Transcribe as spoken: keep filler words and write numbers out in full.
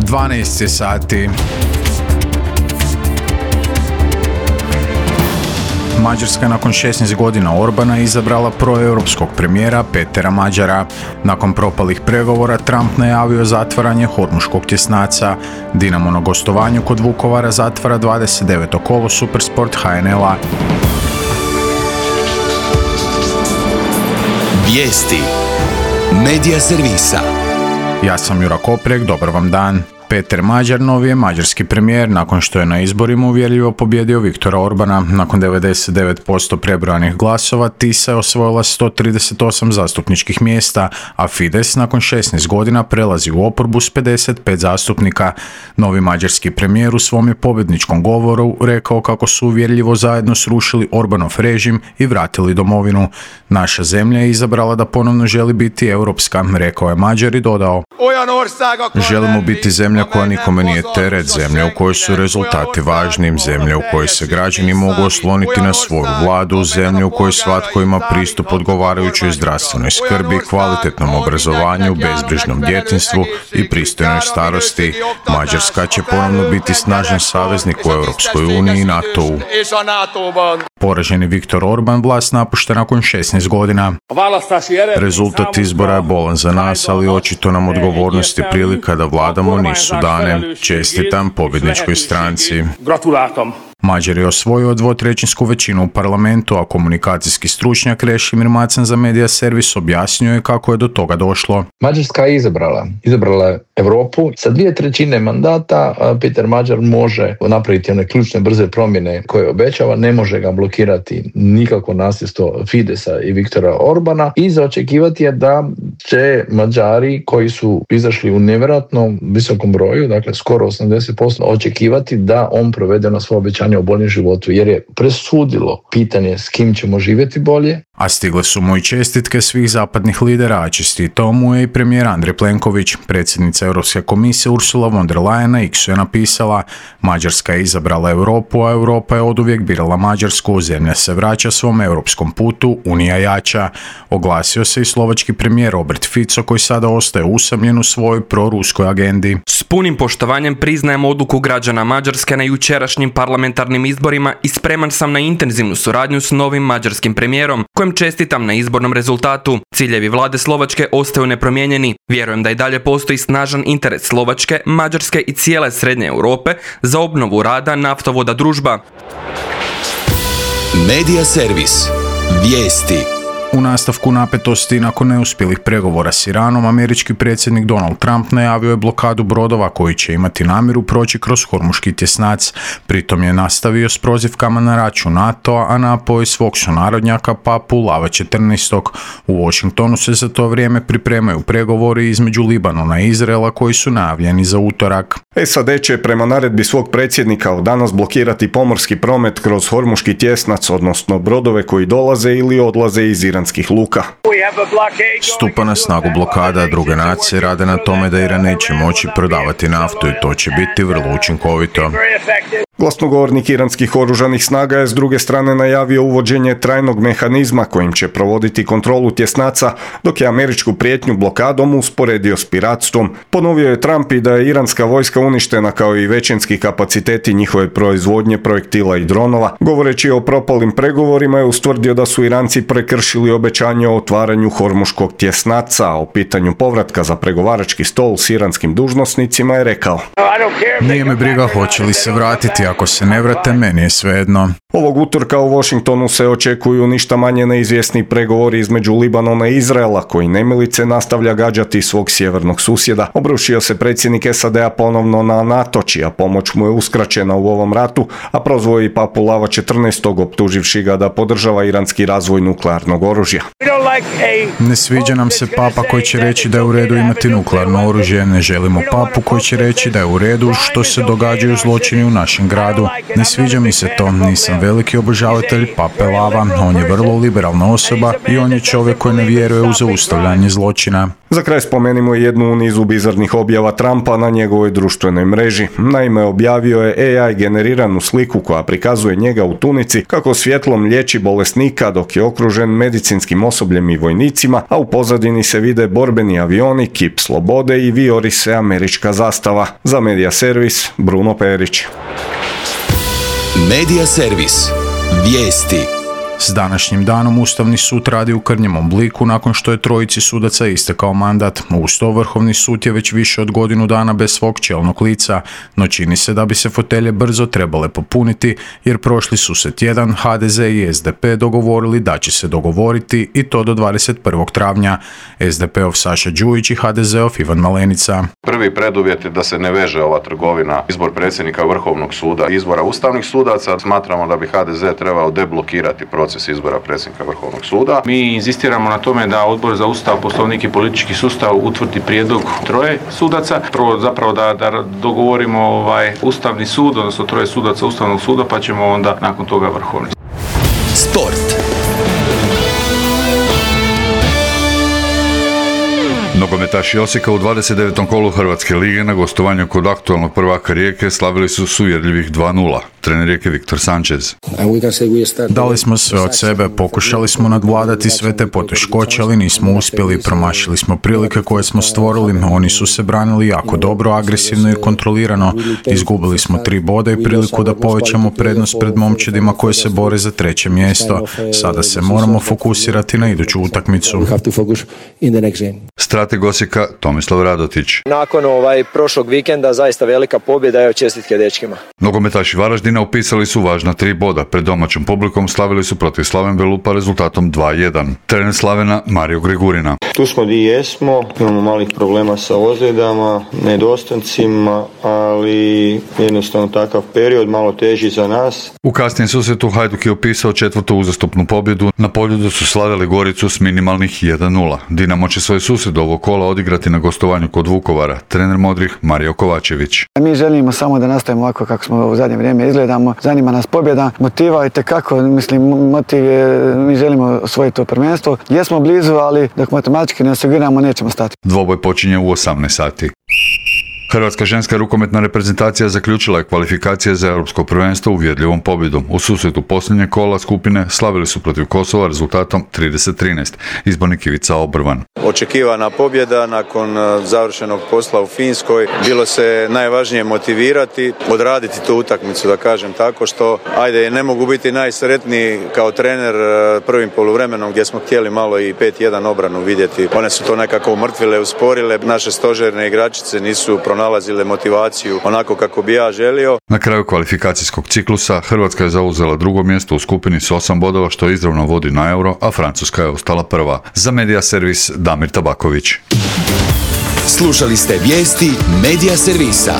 dvanaest je sati. Mađarska nakon šesnaest godina Orbana izabrala proeuropskog premijera Petera Mađara. Nakon propalih pregovora Trump najavio zatvaranje hormuškog tjesnaca. Dinamo na gostovanju kod Vukovara zatvara dvadeset deveto kolo Supersport H N L-a. Vijesti Medija servisa. Ja sam Jura Koprek, dobar vam dan. Peter Mađar novi je mađarski premijer nakon što je na izborima uvjerljivo pobjedio Viktora Orbana. Nakon devedeset devet posto prebrojanih glasova Tisa je osvojila sto trideset osam zastupničkih mjesta, a Fides nakon šesnaest godina prelazi u oporbu s pedeset pet zastupnika. Novi mađarski premijer u svom je pobjedničkom govoru rekao kako su uvjerljivo zajedno srušili Orbanov režim i vratili domovinu. Naša zemlja je izabrala da ponovno želi biti europska, rekao je Mađar i dodao: želimo biti zemlja koja nikome nije teret, zemlja u kojoj su rezultati važni, zemlja u kojoj se građani mogu osloniti na svoju vladu, zemlja u kojoj svatko ima pristup odgovarajućoj zdravstvenoj skrbi, kvalitetnom obrazovanju, bezbrižnom djetinjstvu i pristojnoj starosti. Mađarska će ponovno biti snažan saveznik u Europskoj uniji i NATO-u. Poraženi Viktor Orban vlast napušta nakon šesnaest godina. Rezultat izbora je bolan za nas, ali očito nam odgovornost i prilika da vladamo nisu dane. Čestitam pobjedničkoj stranci. Mađar je osvojio dvotrećinsku većinu u parlamentu, a komunikacijski stručnjak Krešimir Macan za Medija servis objasnio je kako je do toga došlo. Mađarska je izabrala. Izabrala je Europu. Sa dvije trećine mandata Peter Mađar može napraviti one ključne brze promjene koje obećava, ne može ga blokirati nikako nasljedstvo Fidesa i Viktora Orbana i za očekivati je da će Mađari koji su izašli u nevjerojatno visokom broju, dakle skoro osamdeset posto, očekivati da on provede na svoje obećanje o boljem životu, jer je presudilo pitanje s kim ćemo živjeti bolje. A stigle su mu i čestitke svih zapadnih lidera, a čestitao mu je i premijer Andrej Plenković. Predsjednica Europske komisije Ursula von der Leyen na X-u je napisala: Mađarska je izabrala Europu, a Europa je oduvijek birala Mađarsku. Zemlja se vraća svom europskom putu, Unija jača. Oglasio se i slovački premijer Robert Fico, koji sada ostaje usamljen u svojoj proruskoj agendi. S punim poštovanjem priznajem odluku građana Mađarske na jučerašnjim parlamentarnim izborima i spreman sam na intenzivnu suradnju s novim mađarskim premijerom, kojem čestitam na izbornom rezultatu. Ciljevi vlade Slovačke ostaju nepromijenjeni. Vjerujem da i dalje postoji snažan interes Slovačke, Mađarske i cijele Srednje Europe za obnovu rada naftovoda Družba. Medija servis. Vijesti. U nastavku napetosti nakon neuspjelih pregovora s Iranom, američki predsjednik Donald Trump najavio je blokadu brodova koji će imati namjeru proći kroz hormuški tjesnac. Pritom je nastavio s prozivkama na račun NATO-a, a napao je svog sunarodnjaka Papu Lava četrnaest. U Washingtonu se za to vrijeme pripremaju pregovori između Libanona i Izraela koji su najavljeni za utorak. S A D će prema naredbi svog predsjednika od danas blokirati pomorski promet kroz hormuški tjesnac, odnosno brodove koji dolaze ili odlaze iz iranskih luka. Stupa na snagu blokada, druge nacije rade na tome da Iran neće moći prodavati naftu i to će biti vrlo učinkovito. Glasnogovornik iranskih oružanih snaga je s druge strane najavio uvođenje trajnog mehanizma kojim će provoditi kontrolu tjesnaca, dok je američku prijetnju blokadom usporedio s piratstvom. Ponovio je Trump i da je iranska vojska uništena kao i većinski kapaciteti njihove proizvodnje projektila i dronova. Govoreći o propalim pregovorima je ustvrdio da su Iranci prekršili obećanje o otvaranju hormuškog tjesnaca, a o pitanju povratka za pregovarački stol s iranskim dužnosnicima je rekao: nije me briga hoće li se vratiti, ako se ne vrate, meni je svejedno. Ovog utorka u Washingtonu se očekuju ništa manje neizvjesni pregovori između Libanona i Izraela, koji nemilice nastavlja gađati svog sjevernog susjeda. Obrušio se predsjednik S A D-a ponovno na NATO, čija pomoć mu je uskraćena u ovom ratu, a prozvao i Papu Lava četrnaest. optuživši ga da podržava iranski razvoj nuklearnog oružja. Ne sviđa nam se papa koji će reći da je u redu imati nuklearno oružje, ne želimo papu koji će reći da je u redu što se događaju zločini u našem gradu. Ne sviđa mi se to, nisam veliki obožavatelj Pape Lava, on je vrlo liberalna osoba i on je čovjek koji ne vjeruje u zaustavljanje zločina. Za kraj spomenimo jednu u nizu bizarnih objava Trumpa na njegovoj društvenoj mreži. Naime, objavio je A I generiranu sliku koja prikazuje njega u tunici kako svjetlom liječi bolesnika dok je okružen medicinskim osobljem i vojnicima, a u pozadini se vide borbeni avioni, kip slobode i vijori se američka zastava. Za Medija servis, Bruno Perić. Medija servis. Vijesti. S današnjim danom Ustavni sud radi u krnjem obliku nakon što je trojici sudaca istekao mandat. Uz to Vrhovni sud je već više od godinu dana bez svog čelnog lica, no čini se da bi se fotelje brzo trebale popuniti jer prošli su se tjedan H D Z i S D P dogovorili da će se dogovoriti i to do dvadeset prvog travnja. S D P-ov Saša Đujić i H D Z-ov Ivan Malenica. Prvi preduvjet je da se ne veže ova trgovina izbor predsjednika Vrhovnog suda i izbora ustavnih sudaca. Smatramo da bi H D Z trebao deblokirati proces izbora predsjednika Vrhovnog suda. Mi inzistiramo na tome da Odbor za Ustav, Poslovnik i politički sustav utvrdi prijedlog troje sudaca. Prvo zapravo da, da dogovorimo ovaj Ustavni sud, odnosno troje sudaca Ustavnog suda, pa ćemo onda nakon toga Vrhovni. Sport. Nogometaši Osijeka u dvadeset devetom kolu Hrvatske lige na gostovanju kod aktualnog prvaka Rijeke slavili su s uvjerljivih dva nula. Trener Rijeke Viktor Sanchez. Dali smo sve od sebe, pokušali smo nadvladati sve te poteškoće, ali nismo uspjeli, promašili smo prilike koje smo stvorili, oni su se branili jako dobro, agresivno i kontrolirano, izgubili smo tri boda i priliku da povećamo prednost pred momčadima koje se bore za treće mjesto. Sada se moramo fokusirati na iduću utakmicu. Strateg Osijeka Tomislav Radotić. Nakon ovaj prošlog vikenda zaista velika pobjeda, evo čestitke dečkima. Nogometaši Varaždina upisali su važna tri boda. Pred domaćom publikom slavili su protiv Slaven Belupa rezultatom dva jedan. Trener Slavena Mario Grigurina. Tu smo gdje jesmo, imamo malih problema sa ozljedama, nedostancima, ali jednostavno takav period malo teži za nas. U kasnijem susretu Hajduk je upisao četvrtu uzastopnu pobjedu. Na Poljudu su slavili Goricu s minimalnih jedan nula. Dinamo će svoj susret ovog kola odigrati na gostovanju kod Vukovara. Trener Modrih Mario Kovačević. Mi želimo samo da nastavimo ovako kako smo u zadnje vrijeme izgledamo. Zanima nas pobjeda, motiva i tekako, mislim, motiv je, mi želimo osvojiti to prvenstvo. Jesmo blizu, ali dok matematički ne osiguramo, nećemo stati. Dvoboj počinje u osamnaest sati. Hrvatska ženska rukometna reprezentacija zaključila je kvalifikacije za europsko prvenstvo uvjerljivom pobjedom. U susretu posljednje kola skupine slavili su protiv Kosova rezultatom trideset trinaest. Izbornik Ivica Obrvan. Očekivana pobjeda nakon završenog posla u Finskoj. Bilo se najvažnije motivirati, odraditi tu utakmicu, da kažem tako, što ajde ne mogu biti najsretniji kao trener prvim poluvremenom gdje smo htjeli malo i pet jedan obranu vidjeti. One su to nekako umrtvile, usporile. Naše stožerne igračice nisu pronalazile motivaciju onako kako bi ja želio. Na kraju kvalifikacijskog ciklusa Hrvatska je zauzela drugo mjesto u skupini s osam bodova što izravno vodi na Euro, a Francuska je ostala prva. Za Medija servis Damir Tabaković. Slušali ste vijesti Medija servisa.